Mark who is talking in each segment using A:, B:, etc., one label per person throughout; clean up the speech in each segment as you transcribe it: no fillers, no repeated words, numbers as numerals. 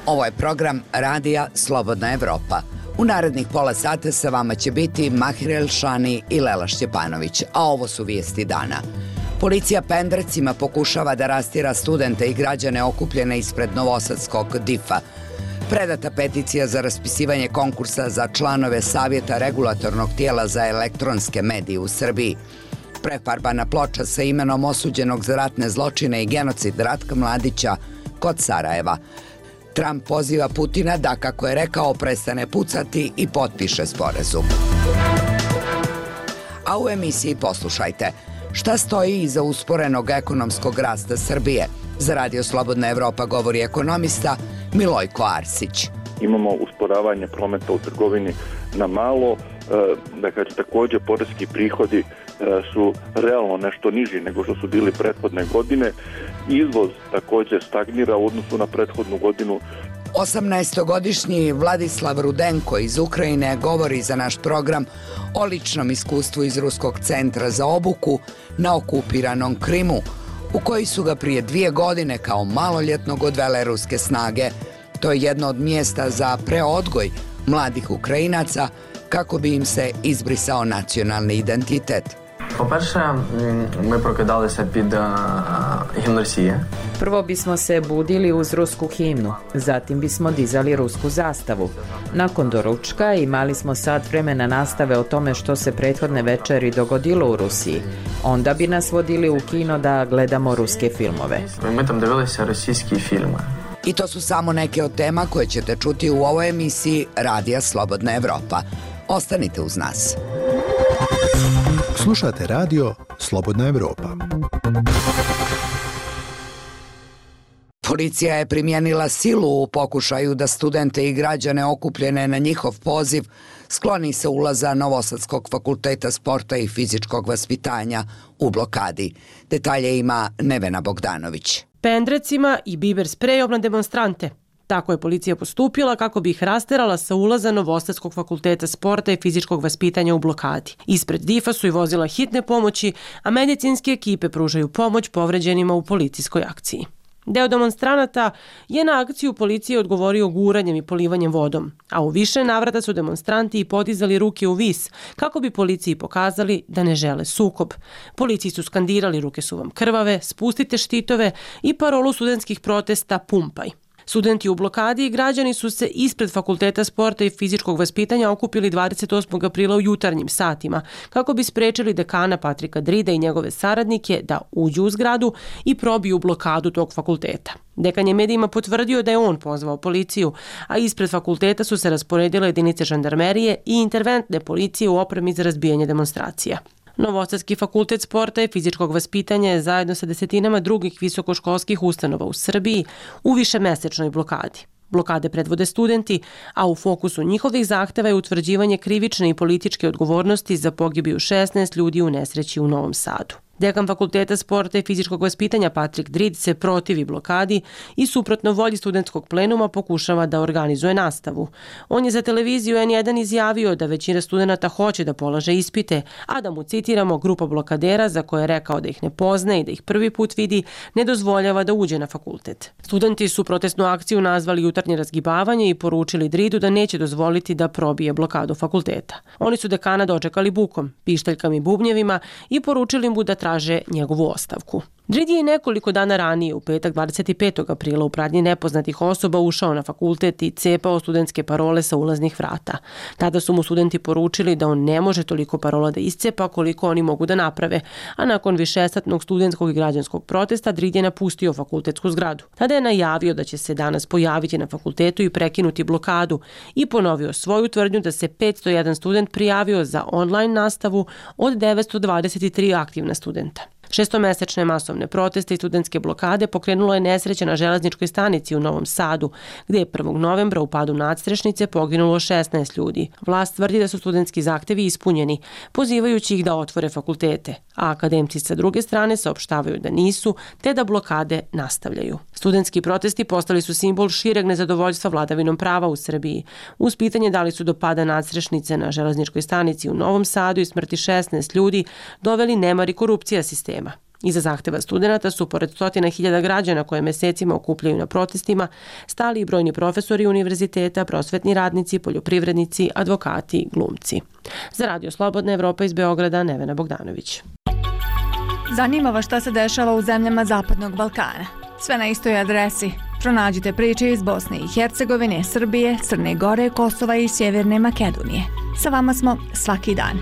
A: Ovo je program Radija Slobodna Evropa. U narednih pola sata sa vama će biti Mahir Elšani i Lela Šćepanović, a ovo su vijesti dana. Policija Pendrecima pokušava da rastjera studente i građane okupljene ispred novosadskog DIF-a. Predata peticija za raspisivanje konkursa za članove Savjeta regulatornog tijela za elektronske medije u Srbiji. Prefarbana ploča sa imenom osuđenog za ratne zločine i genocid Ratka Mladića kod Sarajeva. Trump poziva Putina da, kako je rekao, prestane pucati i potpiše sporazum. A u emisiji poslušajte šta stoji iza usporenog ekonomskog rasta Srbije. Za Radio Slobodna Evropa govori ekonomista Milojko Arsić.
B: Imamo usporavanje prometa u trgovini na malo, također poreski prihodi su realno nešto niži nego što su bili prethodne godine. Izvoz također stagnira u odnosu na prethodnu godinu.
A: 18-godišnji Vladislav Rudenko iz Ukrajine govori za naš program o ličnom iskustvu iz Ruskog centra za obuku na okupiranom Krimu, u koji su ga prije 2 godine kao maloljetnog odvele ruske snage. To je jedno od mjesta za preodgoj mladih Ukrajinaca kako bi im se izbrisao nacionalni identitet.
C: По-перше, ми прокидалися під гімн Росії.
D: Prvo bismo se budili uz rusku himnu, zatim bismo dizali rusku zastavu. Nakon doručka imali smo sat vremena nastave o tome što se prethodne večeri dogodilo u Rusiji. Onda bi nas vodili u kino da gledamo ruske filmove.
C: Ми там дивилися російські фільми.
A: I to su samo neke od tema koje ćete čuti u ovoj emisiji Radija Slobodna Evropa. Ostanite uz nas.
E: Slušate radio Slobodna Evropa.
A: Policija je primijenila silu u pokušaju da studente i građane okupljene na njihov poziv skloni se ulaza Novosadskog fakulteta sporta i fizičkog vaspitanja u blokadi. Detalje ima Nevena Bogdanović.
F: Pendrecima i biber sprejom na demonstrante. Tako je policija postupila kako bi ih rasterala sa ulaza Novosadskog fakulteta sporta i fizičkog vaspitanja u blokadi. Ispred DIF-a su i vozila hitne pomoći, a medicinske ekipe pružaju pomoć povređenima u policijskoj akciji. Deo demonstranata je na akciju policije odgovorio guranjem i polivanjem vodom, a u više navrata su demonstranti i podizali ruke u vis kako bi policiji pokazali da ne žele sukob. Policiji su skandirali ruke su vam krvave, spustite štitove i parolu studentskih protesta pumpaj. Studenti u blokadi i građani su se ispred Fakulteta sporta i fizičkog vaspitanja okupili 28. aprila u jutarnjim satima kako bi sprečili dekana Patrika Drida i njegove saradnike da uđu u zgradu i probiju blokadu tog fakulteta. Dekan je medijima potvrdio da je on pozvao policiju, a ispred fakulteta su se rasporedile jedinice žandarmerije i interventne policije u opremi za razbijanje demonstracija. Novosadski fakultet sporta i fizičkog vaspitanja je zajedno sa desetinama drugih visokoškolskih ustanova u Srbiji u višemesečnoj blokadi. Blokade predvode studenti, a u fokusu njihovih zahteva je utvrđivanje krivične i političke odgovornosti za pogibiju 16 ljudi u nesreći u Novom Sadu. Dekan Fakulteta sporta i fizičkog vaspitanja Patrik Drid se protivi blokadi i suprotno volji studentskog plenuma pokušava da organizuje nastavu. On je za televiziju N1 izjavio da većina studenata hoće da polaže ispite, a da mu, citiramo, grupa blokadera za koje je rekao da ih ne poznaje i da ih prvi put vidi, ne dozvoljava da uđe na fakultet. Studenti su protestnu akciju nazvali jutarnje razgibavanje i poručili Dridu da neće dozvoliti da probije blokadu fakulteta. Oni su dekana dočekali bukom, pištaljkama i bubnjevima i poručili mu da traže njegovu ostavku. Drid je nekoliko dana ranije, u petak 25. aprila, u pratnji nepoznatih osoba ušao na fakultet i cepao studentske parole sa ulaznih vrata. Tada su mu studenti poručili da on ne može toliko parola da iscepa koliko oni mogu da naprave, a nakon višesatnog studentskog i građanskog protesta Drid je napustio fakultetsku zgradu. Tada je najavio da će se danas pojaviti na fakultetu i prekinuti blokadu i ponovio svoju tvrdnju da se 501 student prijavio za online nastavu od 923 aktivna studenta. Šestomesečne masovne proteste i studentske blokade pokrenulo je nesreća na železničkoj stanici u Novom Sadu, gdje je 1. novembra u padu nadstrešnice poginulo 16 ljudi. Vlast tvrdi da su studentski zahtevi ispunjeni, pozivajući ih da otvore fakultete, a akademci sa druge strane saopštavaju da nisu, te da blokade nastavljaju. Studentski protesti postali su simbol šireg nezadovoljstva vladavinom prava u Srbiji. Uz pitanje da li su do pada nadstrešnice na železničkoj stanici u Novom Sadu i smrti 16 ljudi doveli nemar i korupcija sistema. Iza zahteva studenata su, pored 100.000 građana koje mesecima okupljaju na protestima, stali i brojni profesori univerziteta, prosvetni radnici, poljoprivrednici, advokati, glumci. Za Radio Slobodna Evropa iz Beograda, Nevena Bogdanović.
G: Zanima vas šta se dešava u zemljama Zapadnog Balkana. Sve na istoj adresi. Pronađite priče iz Bosne i Hercegovine, Srbije, Crne Gore, Kosova i Sjeverne Makedonije. Sa vama smo svaki dan.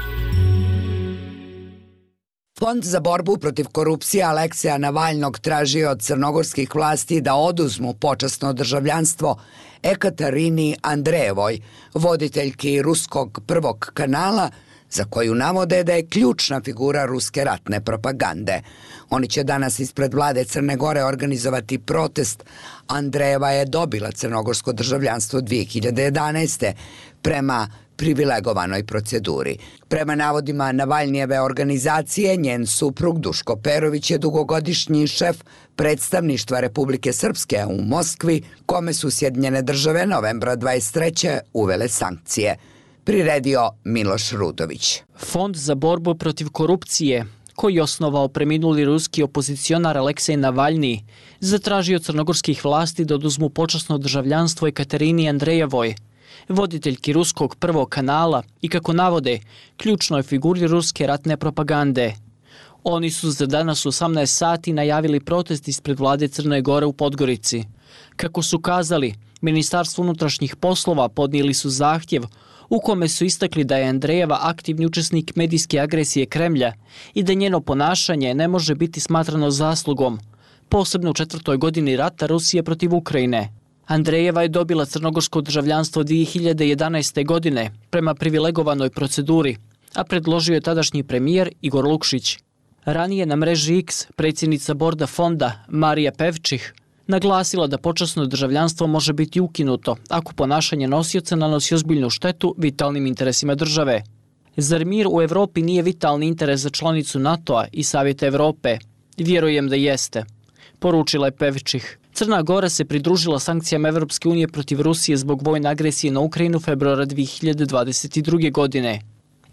A: Fond za borbu protiv korupcije Alekseja Navalnog tražio od crnogorskih vlasti da oduzmu počasno državljanstvo Ekatarini Andrejevoj, voditeljki ruskog prvog kanala, za koju navode da je ključna figura ruske ratne propagande. Oni će danas ispred vlade Crne Gore organizovati protest. Andrejeva je dobila crnogorsko državljanstvo 2011. prema privilegovanoj proceduri. Prema navodima Navalnijeve organizacije, njen suprug Duško Perović je dugogodišnji šef predstavništva Republike Srpske u Moskvi, kome su Sjedinjene Države novembra 23. uvele sankcije. Priredio Miloš Rudović.
H: Fond za borbu protiv korupcije, koji je osnovao preminuli ruski opozicionar Aleksej Navalni, zatražio crnogorskih vlasti da oduzmu počasno državljanstvo Ekaterini Andrejevoj, voditeljki ruskog prvog kanala i, kako navode, ključnoj figuri ruske ratne propagande. Oni su za danas u 18 sati najavili protest ispred vlade Crne Gore u Podgorici. Kako su kazali, Ministarstvo unutrašnjih poslova podnijeli su zahtjev u kome su istakli da je Andrejeva aktivni učesnik medijske agresije Kremlja i da njeno ponašanje ne može biti smatrano zaslugom, posebno u 4. godini rata Rusije protiv Ukrajine. Andrejeva je dobila crnogorsko državljanstvo 2011. godine prema privilegovanoj proceduri, a predložio je tadašnji premijer Igor Lukšić. Ranije na mreži X predsjednica borda fonda Marija Pevčih naglasila da počasno državljanstvo može biti ukinuto ako ponašanje nosioca nanosi ozbiljnu štetu vitalnim interesima države. Zar mir u Evropi nije vitalni interes za članicu NATO-a i Savjeta Evrope? Vjerujem da jeste, poručila je Pevčih. Crna Gora se pridružila sankcijama Evropske unije protiv Rusije zbog vojne agresije na Ukrajinu februara 2022. godine.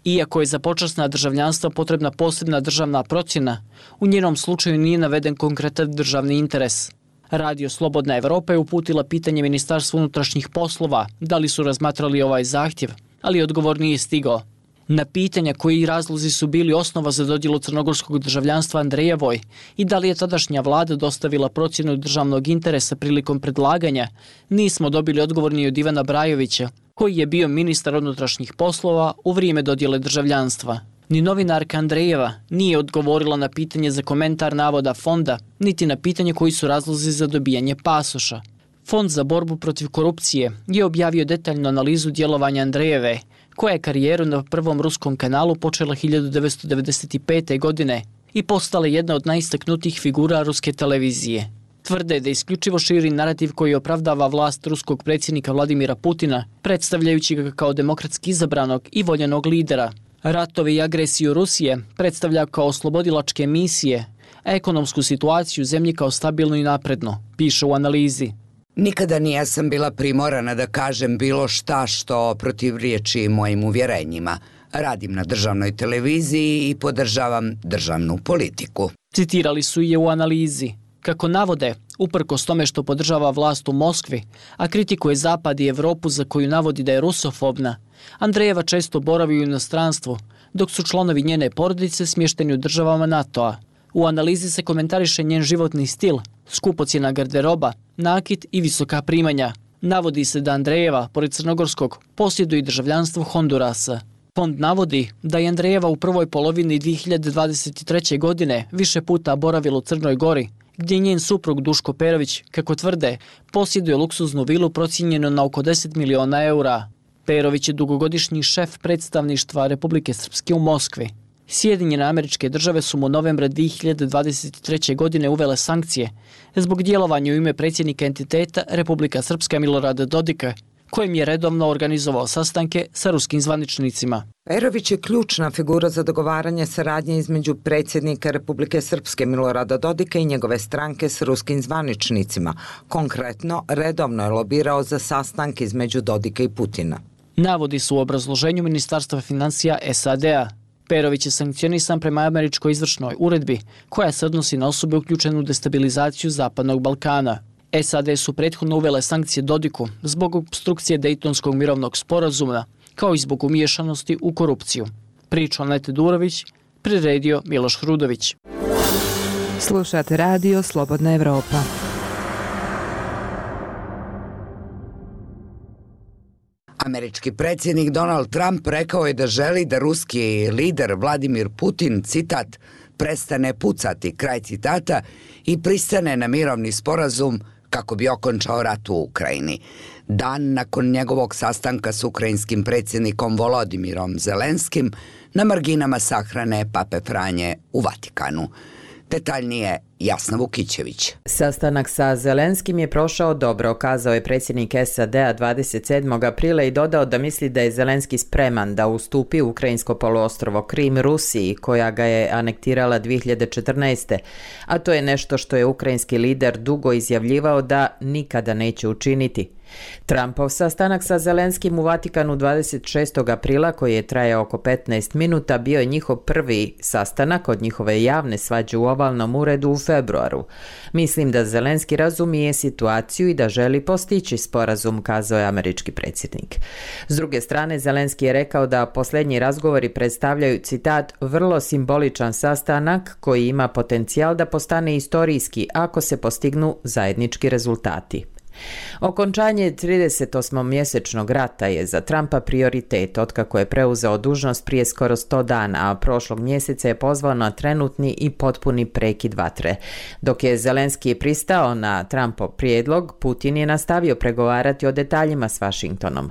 H: Iako je za počasna državljanstva potrebna posebna državna procjena, u njenom slučaju nije naveden konkretan državni interes. Radio Slobodna Evropa je uputila pitanje Ministarstvu unutrašnjih poslova da li su razmatrali ovaj zahtjev, ali odgovor nije stigao. Na pitanja koji razlozi su bili osnova za dodjelu crnogorskog državljanstva Andrejevoj i da li je tadašnja vlada dostavila procjenu državnog interesa prilikom predlaganja, nismo dobili odgovor ni od Ivana Brajovića, koji je bio ministar unutrašnjih poslova u vrijeme dodjele državljanstva. Ni novinarka Andrejeva nije odgovorila na pitanje za komentar navoda fonda, niti na pitanje koji su razlozi za dobijanje pasoša. Fond za borbu protiv korupcije je objavio detaljnu analizu djelovanja Andrejeve, koja je karijeru na prvom ruskom kanalu počela 1995. godine i postala jedna od najistaknutijih figura ruske televizije. Tvrde da isključivo širi narativ koji opravdava vlast ruskog predsjednika Vladimira Putina, predstavljajući ga kao demokratski izabranog i voljenog lidera. Ratove i agresiju Rusije predstavlja kao oslobodilačke misije, a ekonomsku situaciju u zemlji kao stabilnu i naprednu, piše u analizi.
A: Nikada nisam bila primorana da kažem bilo šta što protivriječi mojim uvjerenjima. Radim na državnoj televiziji i podržavam državnu politiku.
H: Citirali su je u analizi. Kako navode, uprkos tome što podržava vlast u Moskvi, a kritikuje Zapad i Evropu za koju navodi da je rusofobna, Andrejeva često boravi u inostranstvu, dok su članovi njene porodice smješteni u državama NATO-a. U analizi se komentariše njen životni stil, skupocjena garderoba, nakit i visoka primanja. Navodi se da Andrejeva, pored crnogorskog, posjeduje državljanstvo Hondurasa. Fond navodi da je Andrejeva u prvoj polovini 2023. godine više puta boravila u Crnoj Gori, gdje njen suprug Duško Perović, kako tvrde, posjeduje luksuznu vilu procijenjenu na oko 10 miliona eura. Perović je dugogodišnji šef predstavništva Republike Srpske u Moskvi. Sjedinjene Američke Države su mu novembra 2023. godine uvele sankcije zbog djelovanja u ime predsjednika entiteta Republika Srpska Milorada Dodika, kojim je redovno organizovao sastanke sa ruskim zvaničnicima.
I: Perović je ključna figura za dogovaranje saradnje između predsjednika Republike Srpske Milorada Dodika i njegove stranke s ruskim zvaničnicima. Konkretno, redovno je lobirao za sastanke između Dodika i Putina.
H: Navodi su u obrazloženju Ministarstva financija SAD-a. Perović je sankcionisan prema američkoj izvršnoj uredbi, koja se odnosi na osobe uključene u destabilizaciju Zapadnog Balkana. SAD su prethodno uvele sankcije Dodiku zbog opstrukcije Dejtonskog mirovnog sporazuma, kao i zbog umiješanosti u korupciju. Priča Anete Durović, priredio Miloš Hrudović.
J: Slušate radio Slobodna Evropa.
A: Američki predsjednik Donald Trump rekao je da želi da ruski lider Vladimir Putin, citat, prestane pucati, kraj citata, i pristane na mirovni sporazum kako bi okončao rat u Ukrajini. Dan nakon njegovog sastanka s ukrajinskim predsjednikom Volodimirom Zelenskim na marginama sahrane Pape Franje u Vatikanu. Detaljnije Jasna Vukićević.
D: Sastanak sa Zelenskim je prošao dobro, kazao je predsjednik SAD-a 27. aprila i dodao da misli da je Zelenski spreman da ustupi ukrajinsko poluostrvo Krim Rusiji, koja ga je anektirala 2014. A to je nešto što je ukrajinski lider dugo izjavljivao da nikada neće učiniti. Trumpov sastanak sa Zelenskim u Vatikanu 26. aprila, koji je trajao oko 15 minuta, bio je njihov prvi sastanak od njihove javne svađe u ovalnom uredu u februaru. Mislim da Zelenski razumije situaciju i da želi postići sporazum, kazao je američki predsjednik. S druge strane, Zelenski je rekao da posljednji razgovori predstavljaju, citat, vrlo simboličan sastanak koji ima potencijal da postane istorijski ako se postignu zajednički rezultati. Okončanje 38-mjesečnog rata je za Trumpa prioritet otkako je preuzeo dužnost prije skoro 100 dana, a prošlog mjeseca je pozvao na trenutni i potpuni prekid vatre. Dok je Zelenski pristao na Trumpov prijedlog, Putin je nastavio pregovarati o detaljima s Washingtonom.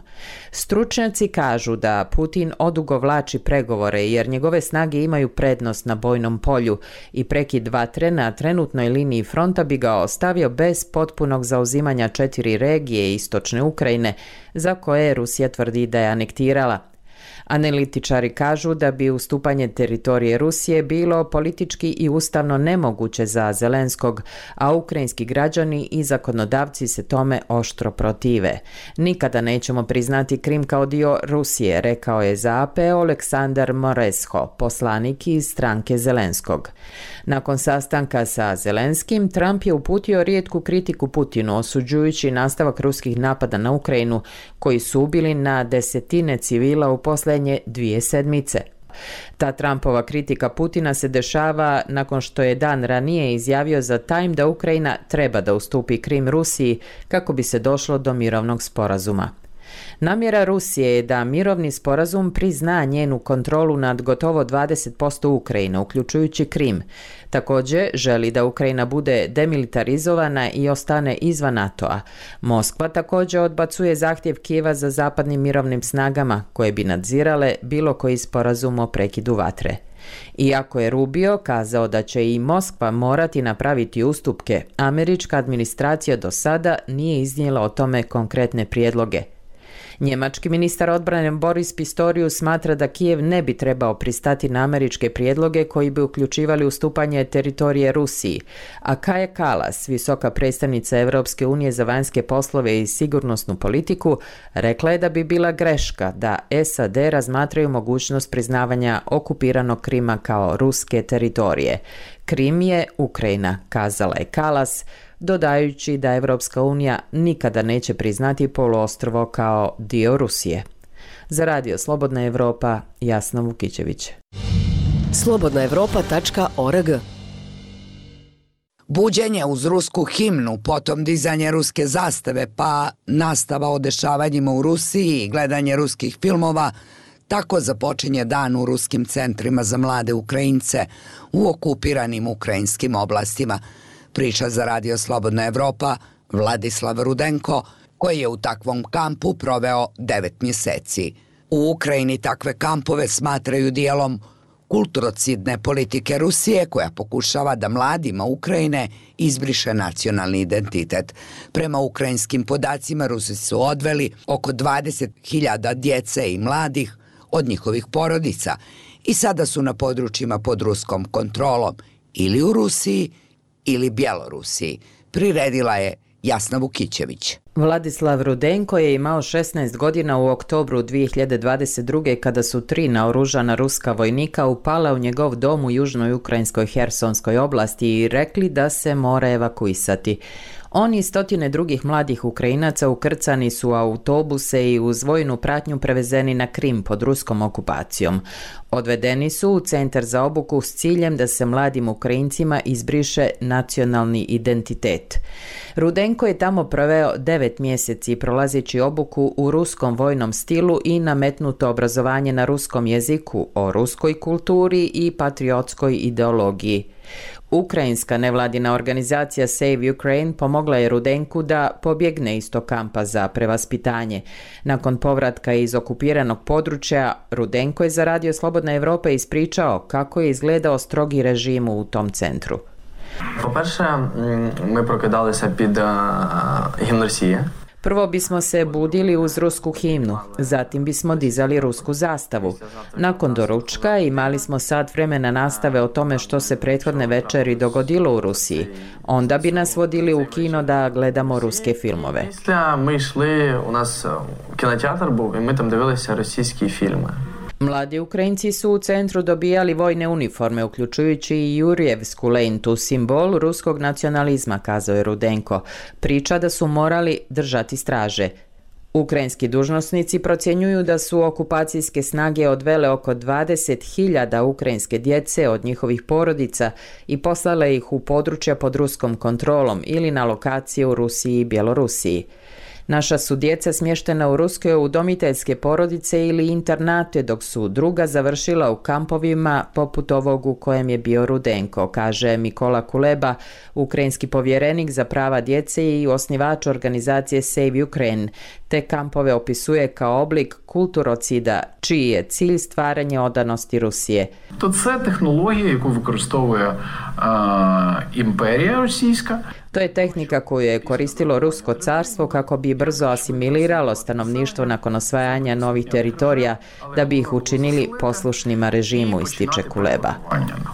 D: Stručnjaci kažu da Putin odugovlači pregovore jer njegove snage imaju prednost na bojnom polju i prekid vatre na trenutnoj liniji fronta bi ga ostavio bez potpunog zauzimanja 4 regije istočne Ukrajine za koje Rusija tvrdi da je anektirala. Analitičari kažu da bi ustupanje teritorije Rusije bilo politički i ustavno nemoguće za Zelenskog, a ukrajinski građani i zakonodavci se tome oštro protive. Nikada nećemo priznati Krim kao dio Rusije, rekao je za AP Oleksandar Moresho, poslanik iz stranke Zelenskog. Nakon sastanka sa Zelenskim, Trump je uputio rijetku kritiku Putinu, osuđujući nastavak ruskih napada na Ukrajinu, koji su ubili na desetine civila u posljednje 2 sedmice. Ta Trumpova kritika Putina se dešava nakon što je dan ranije izjavio za Time da Ukrajina treba da ustupi Krim Rusiji kako bi se došlo do mirovnog sporazuma. Namjera Rusije je da mirovni sporazum prizna njenu kontrolu nad gotovo 20% Ukrajine, uključujući Krim. Također želi da Ukrajina bude demilitarizovana i ostane izvan NATO-a. Moskva također odbacuje zahtjev Kijeva za zapadnim mirovnim snagama koje bi nadzirale bilo koji sporazum o prekidu vatre. Iako je Rubio kazao da će i Moskva morati napraviti ustupke, američka administracija do sada nije iznijela o tome konkretne prijedloge. Njemački ministar odbrane Boris Pistorius smatra da Kijev ne bi trebao pristati na američke prijedloge koji bi uključivali ustupanje teritorije Rusiji, a Kaja Kallas, visoka predstavnica Europske unije za vanjske poslove i sigurnosnu politiku, rekla je da bi bila greška da SAD razmatraju mogućnost priznavanja okupiranog Krima kao ruske teritorije. Krim je Ukrajina, kazala je Kallas, dodajući da Evropska unija nikada neće priznati poluostrvo kao dio Rusije. Za radio Slobodna Evropa, Jasna Vukićević.
K: slobodnaevropa.org.
A: Buđenje uz rusku himnu, potom dizanje ruske zastave, pa nastava o dešavanjima u Rusiji i gledanje ruskih filmova, tako započinje dan u ruskim centrima za mlade Ukrajince u okupiranim ukrajinskim oblastima. Priča za radio Slobodna Evropa Vladislav Rudenko, koji je u takvom kampu proveo 9 mjeseci. U Ukrajini takve kampove smatraju dijelom kulturocidne politike Rusije, koja pokušava da mladima Ukrajine izbriše nacionalni identitet. Prema ukrajinskim podacima, Rusi su odveli oko 20.000 djece i mladih od njihovih porodica i sada su na područjima pod ruskom kontrolom ili u Rusiji ili Bjelorusiji, priredila je Jasna Vukićević.
D: Vladislav Rudenko je imao 16 godina u oktobru 2022. kada su 3 naoružana ruska vojnika upala u njegov dom u južnoj ukrajinskoj Hersonskoj oblasti i rekli da se mora evakuisati. On i stotine drugih mladih Ukrajinaca ukrcani su u autobuse i uz vojnu pratnju prevezeni na Krim pod ruskom okupacijom. Odvedeni su u centar za obuku s ciljem da se mladim Ukrajincima izbriše nacionalni identitet. Rudenko je tamo proveo 9 mjeseci prolazeći obuku u ruskom vojnom stilu i nametnuto obrazovanje na ruskom jeziku o ruskoj kulturi i patriotskoj ideologiji. Ukrajinska nevladina organizacija Save Ukraine pomogla je Rudenku da pobjegne iz tog kampa za prevaspitanje. Nakon povratka iz okupiranog područja, Rudenko je za Radio Slobodna Evropa ispričao kako je izgledao strogi režim u tom centru.
C: По-перше, ми прокидалися під гімн Росії.
D: Prvo bismo se budili uz rusku himnu, zatim bismo dizali rusku zastavu. Nakon doručka imali smo sat vremena nastave o tome što se prethodne večeri dogodilo u Rusiji. Onda bi nas vodili u kino da gledamo ruske filmove.
C: Після ми йшли, у нас кінотеатр був, і ми там дивилися російські фільми.
D: Mladi Ukrajinci su u centru dobijali vojne uniforme, uključujući i Jurjevsku lentu, simbol ruskog nacionalizma, kazao je Rudenko. Priča da su morali držati straže. Ukrajinski dužnosnici procjenjuju da su okupacijske snage odvele oko 20.000 ukrajinske djece od njihovih porodica i poslale ih u područja pod ruskom kontrolom ili na lokacije u Rusiji i Bjelorusiji. Naša su djeca smještena u ruske udomiteljske porodice ili internate, dok su druga završila u kampovima poput ovog u kojem je bio Rudenko, kaže Mikola Kuleba, ukrajinski povjerenik za prava djece i osnivač organizacije Save Ukraine. Te kampove opisuje kao oblik kulturocida, čiji je cilj stvaranje odanosti Rusije.
K: To це технологія, яку використовує імперія російська.
D: To je tehnika koju je koristilo Rusko carstvo kako bi brzo asimiliralo stanovništvo nakon osvajanja novih teritorija da bi ih učinili poslušnima režimu, ističe Kuleba.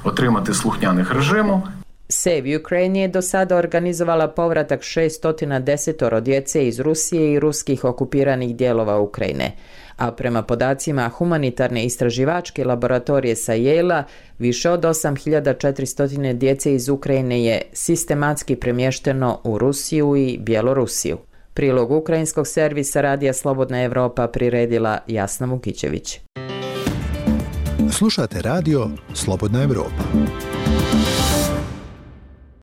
K: Отримати слухняних режиму.
D: Save Ukraine je do sada organizovala povratak 610 djece iz Rusije i ruskih okupiranih dijelova Ukrajine. A prema podacima humanitarne istraživačke laboratorije sa Yale-a, više od 8400 djece iz Ukrajine je sistematski premješteno u Rusiju i Bjelorusiju. Prilog ukrajinskog servisa Radija Slobodna Evropa priredila Jasna Vukićević.
E: Slušate radio Slobodna Evropa.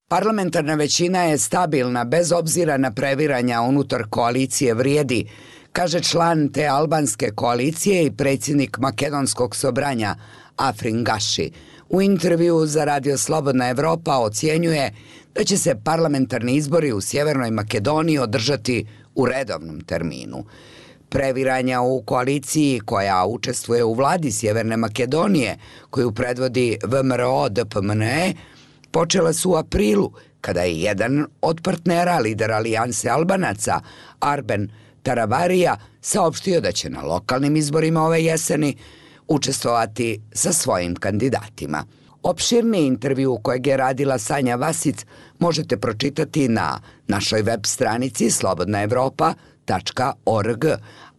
A: Parlamentarna većina je stabilna bez obzira na previranja unutar koalicije Vrijedi, kaže član te albanske koalicije i predsjednik makedonskog sobranja Afrin Gaši. U intervju za Radio Slobodna Evropa ocjenjuje da će se parlamentarni izbori u Sjevernoj Makedoniji održati u redovnom terminu. Previranja u koaliciji koja učestvuje u vladi Sjeverne Makedonije, koju predvodi VMRO-DPMNE, počela su u aprilu, kada je jedan od partnera, lider Alijanse Albanaca, Arben Taravarija, saopštio da će na lokalnim izborima ove jeseni učestvovati sa svojim kandidatima. Opširni intervju kojeg je radila Sanja Vasic možete pročitati na našoj web stranici slobodnaevropa.org,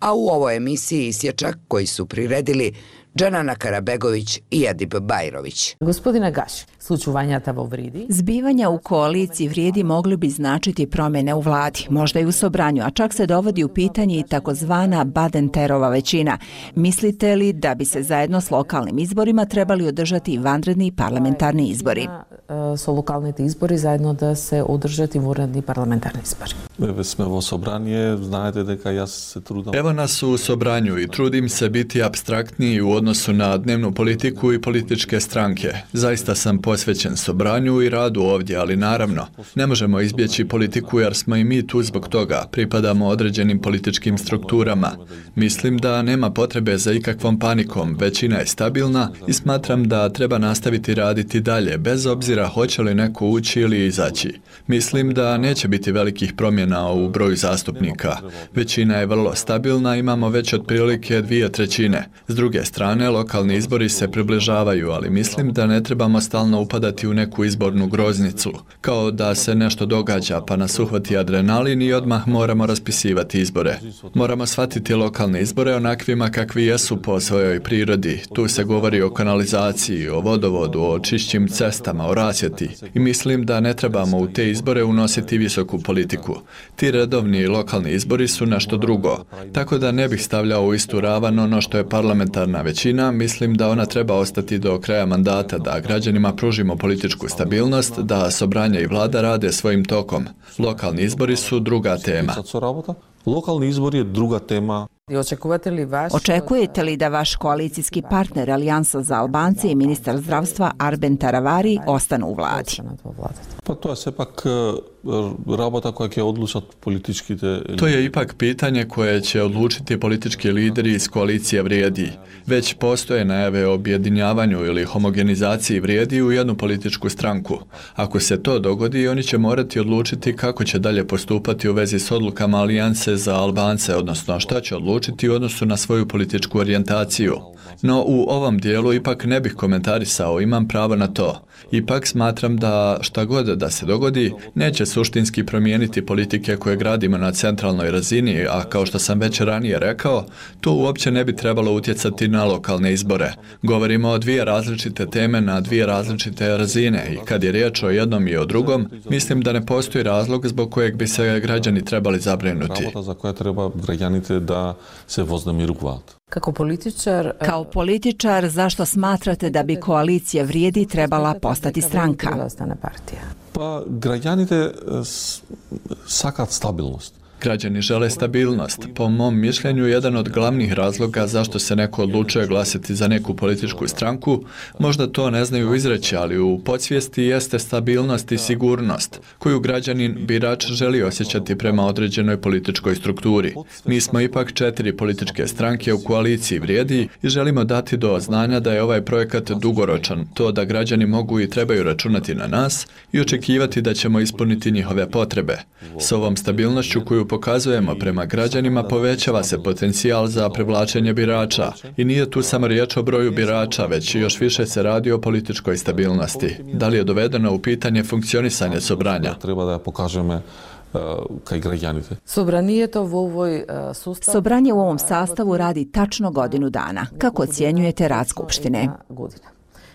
A: a u ovoj emisiji isječak koji su priredili Džanana Karabegović i Edip Bajrović.
L: Gospodina Gaš, slučuvanjata vo Vridi.
M: Zbivanja u koaliciji Vrijedi mogli bi značiti promjene u vladi, možda i u sobranju, a čak se dovodi u pitanje i takozvana Badenterova većina. Mislite li da bi se zajedno s lokalnim izborima trebali održati vanredni parlamentarni izbori?
L: Su lokalni izbori zajedno da se održati vanredni parlamentarni izbori.
N: Evo nas u sobranju i trudim se biti apstraktniji u odnosu na dnevnu politiku i političke stranke. Zaista sam posvećen sobranju i radu ovdje, ali naravno, ne možemo izbjeći politiku jer smo i mi tu zbog toga. Pripadamo određenim političkim strukturama. Mislim da nema potrebe za ikakvom panikom. Većina je stabilna i smatram da treba nastaviti raditi dalje, bez obzira hoće li neko ući ili izaći. Mislim da neće biti velikih promjena u broju zastupnika. Većina je vrlo stabilna, imamo već otprilike 2/3. S druge strane, strane, lokalni izbori se približavaju, ali mislim da ne trebamo stalno upadati u neku izbornu groznicu, kao da se nešto događa pa nas uhvati adrenalin i odmah moramo raspisivati izbore. Moramo shvatiti lokalne izbore onakvima kakvi jesu po svojoj prirodi. Tu se govori o kanalizaciji, o vodovodu, o čišćim cestama, o rasvjeti. I mislim da ne trebamo u te izbore unositi visoku politiku. Ti redovni lokalni izbori su nešto drugo. Tako da ne bih stavljao u istu ravan ono što je parlamentarna većina. Mislim da ona treba ostati do kraja mandata, da građanima pružimo političku stabilnost, da Sobranje i vlada rade svojim tokom. Lokalni izbori su druga tema.
O: Lokalni izbor je druga tema.
M: Očekujete li da vaš koalicijski partner Alijansa za Albance i ministar zdravstva Arben Taravari ostanu u vladi?
O: Pa to je sepak rabota koja će odlučati politički.
N: To je ipak pitanje koje će odlučiti politički lideri iz koalicije Vrijedi. Već postoje najave o objedinjavanju ili homogenizaciji Vrijedi u jednu političku stranku. Ako se to dogodi, oni će morati odlučiti kako će dalje postupati u vezi s odlukama Alijanse za Albance, odnosno šta će odlučiti u odnosu na svoju političku orijentaciju. No u ovom dijelu ipak ne bih komentarisao, imam pravo na to. Ipak smatram da šta god da se dogodi, neće suštinski promijeniti politike koje gradimo na centralnoj razini, a kao što sam već ranije rekao, to uopće ne bi trebalo utjecati na lokalne izbore. Govorimo o dvije različite teme na dvije različite razine i kad je riječ o jednom i o drugom, mislim da ne postoji razlog zbog kojeg bi se građani trebali zabrinuti.
O: Rabota za koja treba građanite da se voznemiruvat.
M: Kao političar, zašto smatrate da bi koalicija Vrijedi trebala postati stranka?
O: Pa građanite sakat stabilnost.
N: Građani žele stabilnost. Po mom mišljenju, jedan od glavnih razloga zašto se neko odlučuje glasati za neku političku stranku, možda to ne znaju izreći, ali u podsvijesti jeste stabilnost i sigurnost, koju građanin birač želi osjećati prema određenoj političkoj strukturi. Mi smo ipak 4 političke stranke u koaliciji Vrijedi i želimo dati do znanja da je ovaj projekat dugoročan, to da građani mogu i trebaju računati na nas i očekivati da ćemo ispuniti njihove potrebe. S ovom stabilnošću koju pokazujemo prema građanima povećava se potencijal za privlačenje birača i nije tu samo riječ o broju birača, već još više se radi o političkoj stabilnosti. Da li je dovedeno u pitanje funkcionisanje Sobranja?
O: Treba da pokažeme kaj građanite.
M: Sobranje u ovom sastavu radi tačno godinu dana. Kako ocjenjujete rad Skupštine?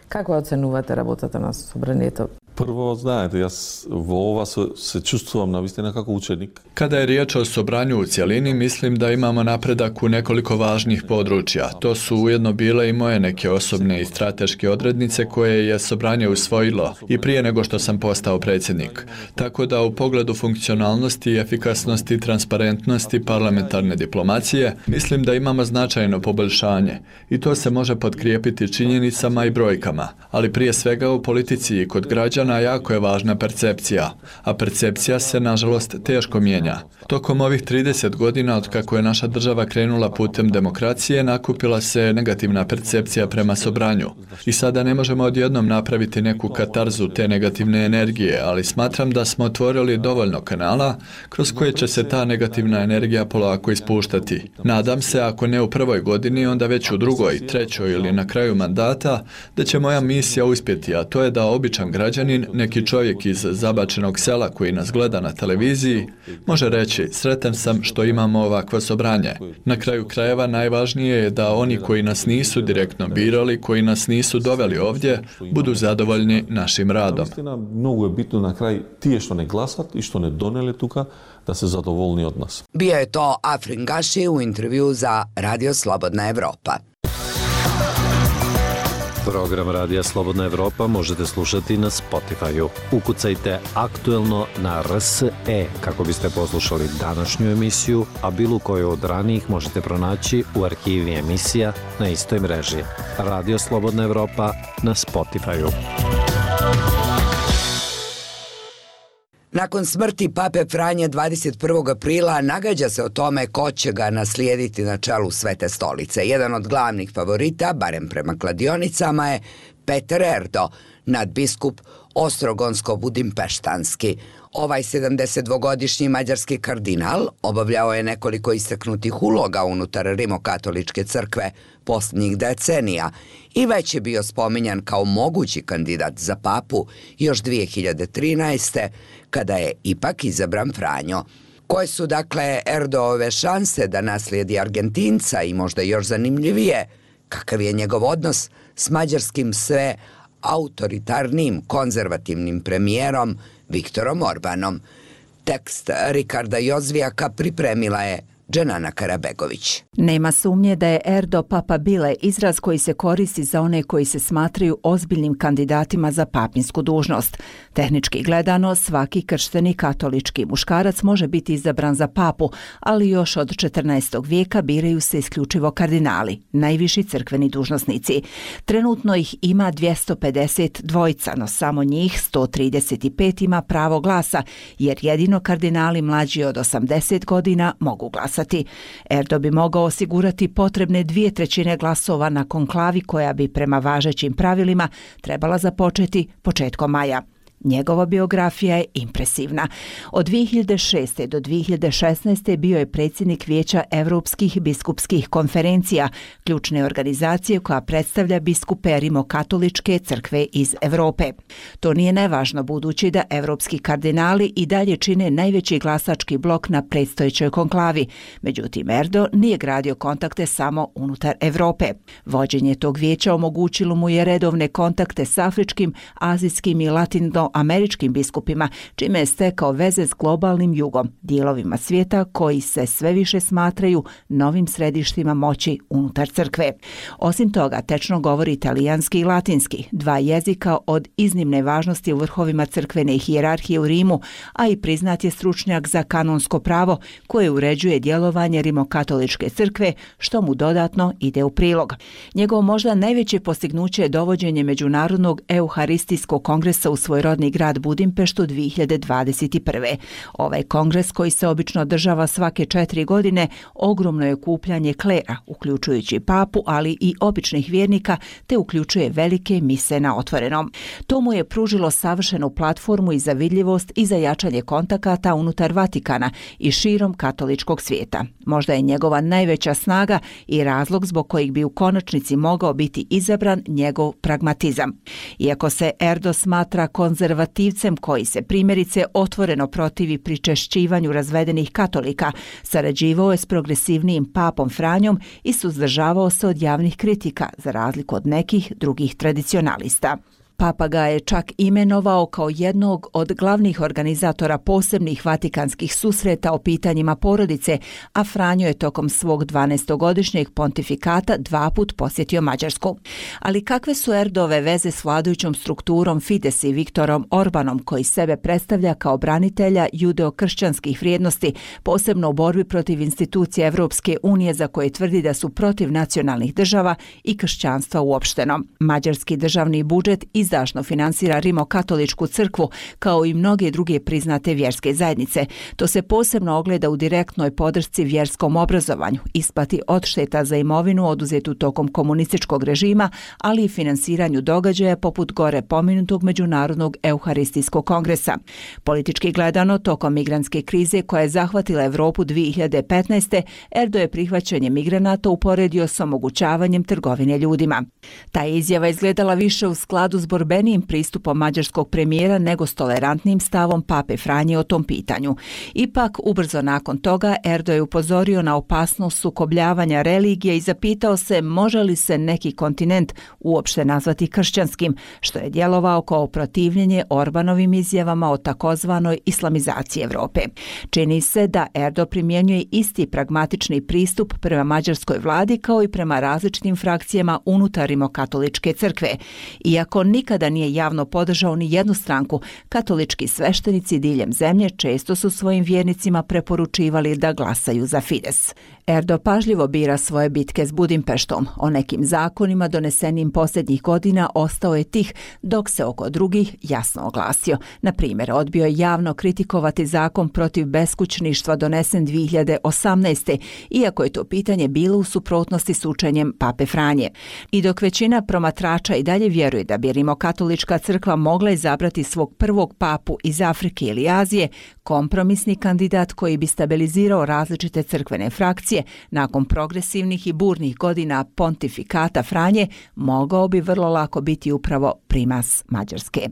L: Kako ocenujete работата на Собранието?
O: Prvo, znate, ja vo ova se čustvujem na vistina kako učenik.
N: Kada je riječ o Sobranju u cjelini, mislim da imamo napredak u nekoliko važnih područja. To su ujedno bile i moje neke osobne i strateške odrednice koje je Sobranje usvojilo i prije nego što sam postao predsjednik. Tako da u pogledu funkcionalnosti, efikasnosti, transparentnosti, parlamentarne diplomacije, mislim da imamo značajno poboljšanje i to se može potkrijepiti činjenicama i brojkama, ali prije svega u politici i kod građana jako je važna percepcija, a percepcija se, nažalost, teško mijenja. Tokom ovih 30 godina od kako je naša država krenula putem demokracije, nakupila se negativna percepcija prema Sobranju. I sada ne možemo odjednom napraviti neku katarzu te negativne energije, ali smatram da smo otvorili dovoljno kanala kroz koje će se ta negativna energija polako ispuštati. Nadam se, ako ne u prvoj godini, onda već u drugoj, trećoj ili na kraju mandata, da će moja misija uspjeti, a to je da običan građanin, neki čovjek iz zabačenog sela koji nas gleda na televiziji, može reći: sretan sam što imamo ovakvo Sobranje. Na kraju krajeva najvažnije je da oni koji nas nisu direktno birali, koji nas nisu doveli ovdje, budu zadovoljni našim radom.
O: Mnogo je bitno na kraj tije što ne glasat i što ne doneli tuka, da se zadovoljni od nas.
A: Bio je to Afrin Gaši u intervju za Radio Slobodna Evropa.
P: Program Radija Slobodna Evropa možete slušati na Spotify-u. Ukucajte Aktuelno na RSE kako biste poslušali današnju emisiju, a bilo koju od ranijih možete pronaći u arhivi emisija na istoj mreži. Radio Slobodna Evropa na Spotify-u.
A: Nakon smrti pape Franje 21. aprila nagađa se o tome ko će ga naslijediti na čelu Svete stolice. Jedan od glavnih favorita, barem prema kladionicama, je Peter Erdo, nadbiskup ostrogonsko-budimpeštanski. Ovaj 72-godišnji mađarski kardinal obavljao je nekoliko istaknutih uloga unutar rimokatoličke crkve posljednjih decenija i već je bio spominjan kao mogući kandidat za papu još 2013. kada je ipak izabran Franjo. Koje su dakle Erdoove šanse da naslijedi Argentinca i možda još zanimljivije, kakav je njegov odnos s mađarskim sve autoritarnim konzervativnim premijerom Viktorom Orbanom. Tekst Rikarda Jozvijaka pripremila je Dženana Karabegović.
M: Nema sumnje da je Erdo Papa Bile izraz koji se koristi za one koji se smatraju ozbiljnim kandidatima za papinsku dužnost. Tehnički gledano, svaki kršteni katolički muškarac može biti izabran za papu, ali još od 14. vijeka biraju se isključivo kardinali, najviši crkveni dužnosnici. Trenutno ih ima 252, no samo njih 135 ima pravo glasa, jer jedino kardinali mlađi od 80 godina mogu glasati. Erdo bi mogao osigurati potrebne 2/3 glasova na konklavi koja bi prema važećim pravilima trebala započeti početkom maja. Njegova biografija je impresivna. Od 2006. do 2016. bio je predsjednik Vijeća Europskih biskupskih konferencija, ključne organizacije koja predstavlja biskupe rimokatoličke crkve iz Europe. To nije nevažno budući da evropski kardinali i dalje čine najveći glasački blok na predstojećoj konklavi. Međutim, Erdo nije gradio kontakte samo unutar Europe. Vođenje tog vijeća omogućilo mu je redovne kontakte s afričkim, azijskim i latinoameričkim biskupima, čime je stekao veze s globalnim jugom, dijelovima svijeta koji se sve više smatraju novim središtima moći unutar crkve. Osim toga, tečno govori italijanski i latinski, dva jezika od iznimne važnosti u vrhovima crkvene hijerarhije u Rimu, a i priznat je stručnjak za kanonsko pravo koje uređuje djelovanje rimokatoličke crkve, što mu dodatno ide u prilog. Njegovo možda najveće postignuće je dovođenje Međunarodnog euharistijskog kongresa u svoj rodni grad Budimpeštu 2021. Ovaj kongres, koji se obično održava svake 4 godine, ogromno je okupljanje klera, uključujući papu, ali i običnih vjernika, te uključuje velike mise na otvorenom. To mu je pružilo savršenu platformu i za vidljivost i za jačanje kontakata unutar Vatikana i širom katoličkog svijeta. Možda je njegova najveća snaga i razlog zbog kojeg bi u konačnici mogao biti izabran njegov pragmatizam. Iako se Erdo smatra konzervativcem koji se primjerice otvoreno protivi pričešćivanju razvedenih katolika, sarađivao je s progresivnijim papom Franjom i suzdržavao se od javnih kritika, za razliku od nekih drugih tradicionalista. Papa ga je čak imenovao kao jednog od glavnih organizatora posebnih vatikanskih susreta o pitanjima porodice, a Franjo je tokom svog 12-godišnjeg pontifikata 2 puta posjetio Mađarsku. Ali kakve su Erdove veze s vladajućom strukturom Fides i Viktorom Orbanom, koji sebe predstavlja kao branitelja judeo-kršćanskih vrijednosti, posebno u borbi protiv institucija Evropske unije za koje tvrdi da su protiv nacionalnih država i kršćanstva uopšteno. Mađarski državni budžet izdašno finansira rimokatoličku crkvu kao i mnoge druge priznate vjerske zajednice. To se posebno ogleda u direktnoj podršci vjerskom obrazovanju, isplati odšteta za imovinu oduzetu tokom komunističkog režima, ali i finansiranju događaja poput gore pomenutog Međunarodnog euharistijskog kongresa. Politički gledano, tokom migrantske krize koja je zahvatila Europu 2015. Erdo je prihvaćanje migranata uporedio s omogućavanjem trgovine ljudima. Ta izjava izgledala više u skladu s borbenijim pristupom mađarskog premijera nego s tolerantnim stavom pape Franje o tom pitanju. Ipak, ubrzo nakon toga, Erdo je upozorio na opasnost sukobljavanja religije i zapitao se može li se neki kontinent uopšte nazvati kršćanskim, što je djelovao kao protivljenje Orbanovim izjavama o takozvanoj islamizaciji Europe. Čini se da Erdo primjenjuje isti pragmatični pristup prema mađarskoj vladi kao i prema različitim frakcijama unutar rimokatoličke crkve. Iako nikada nije javno podržao ni jednu stranku, katolički sveštenici diljem zemlje često su svojim vjernicima preporučivali da glasaju za Fides. Erdo pažljivo bira svoje bitke s Budimpeštom. O nekim zakonima donesenim posljednjih godina ostao je tih, dok se oko drugih jasno oglasio. Na primjer, odbio je javno kritikovati zakon protiv beskućništva donesen 2018. iako je to pitanje bilo u suprotnosti s učenjem pape Franje. I dok većina promatrača i dalje vjeruje da bi Rimokatolička crkva mogla izabrati svog prvog papu iz Afrike ili Azije, kompromisni kandidat koji bi stabilizirao različite crkvene frakcije nakon progresivnih i burnih godina pontifikata Franje, mogao bi vrlo lako biti upravo primas Mađarske.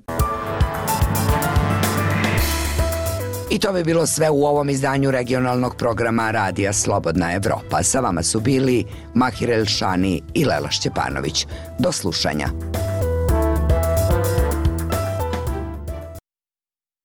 A: I to bi bilo sve u ovom izdanju regionalnog programa Radija Slobodna Evropa. Sa vama su bili Mahir Elšani i Lela Šćepanović. Do slušanja.